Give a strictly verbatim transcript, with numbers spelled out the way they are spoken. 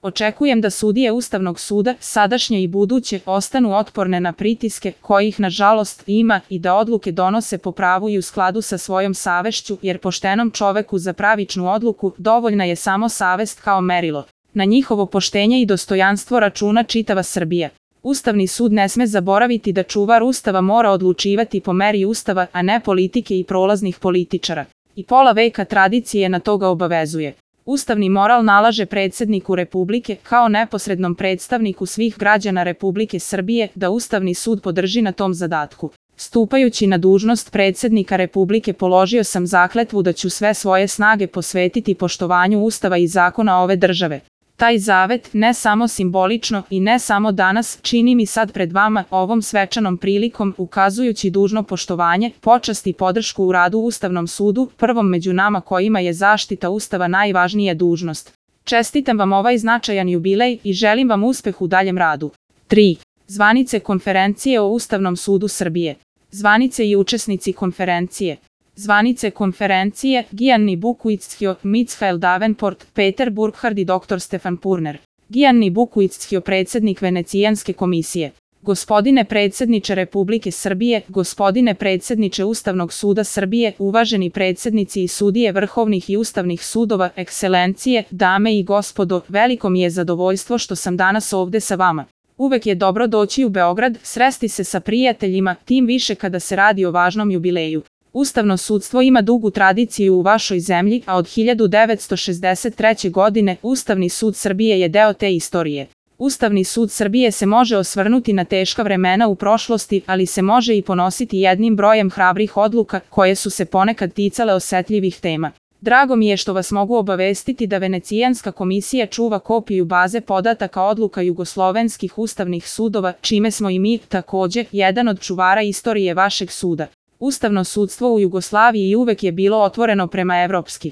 Očekujem da sudije Ustavnog suda, sadašnje i buduće, ostanu otporne na pritiske, kojih nažalost ima, i da odluke donose po pravu i u skladu sa svojom savešću, jer poštenom čoveku za pravičnu odluku dovoljna je samo savest kao merilo. Na njihovo poštenje i dostojanstvo računa čitava Srbija. Ustavni sud ne sme zaboraviti da čuvar Ustava mora odlučivati po meri Ustava, a ne politike i prolaznih političara. I pola veka tradicije na to ga obavezuje. Ustavni moral nalaže predsjedniku Republike, kao neposrednom predstavniku svih građana Republike Srbije, da Ustavni sud podrži na tom zadatku. Stupajući na dužnost predsjednika Republike položio sam zakletvu da ću sve svoje snage posvetiti poštovanju Ustava i zakona ove države. Taj zavet, ne samo simbolično i ne samo danas, čini mi sad pred vama, ovom svečanom prilikom, ukazujući dužno poštovanje, počast i podršku u radu Ustavnom sudu, prvom među nama kojima je zaštita Ustava najvažnija dužnost. Čestitam vam ovaj značajan jubilej i želim vam uspeh u daljem radu. tri. Zvanice konferencije o Ustavnom sudu Srbije. Zvanice i učesnici konferencije. Zvanice konferencije: Gianni Bukuitzhio, Michael Davenport, Peter Burkhard i doktor Stefan Purner. Gianni Bukuitzhio, predsjednik Venecijanske komisije. Gospodine predsjedniče Republike Srbije, gospodine predsjedniče Ustavnog suda Srbije, uvaženi predsjednici i sudije vrhovnih i ustavnih sudova, ekscelencije, dame i gospodo, veliko mi je zadovoljstvo što sam danas ovde sa vama. Uvek je dobro doći u Beograd, sresti se sa prijateljima, tim više kada se radi o važnom jubileju. Ustavno sudstvo ima dugu tradiciju u vašoj zemlji, a od hiljadu devetsto šezdeset treće. godine Ustavni sud Srbije je deo te istorije. Ustavni sud Srbije se može osvrnuti na teška vremena u prošlosti, ali se može i ponositi jednim brojem hrabrih odluka, koje su se ponekad ticale osetljivih tema. Drago mi je što vas mogu obavestiti da Venecijanska komisija čuva kopiju baze podataka odluka jugoslovenskih ustavnih sudova, čime smo i mi, takođe, jedan od čuvara istorije vašeg suda. Ustavno sudstvo u Jugoslaviji uvek je bilo otvoreno prema evropski.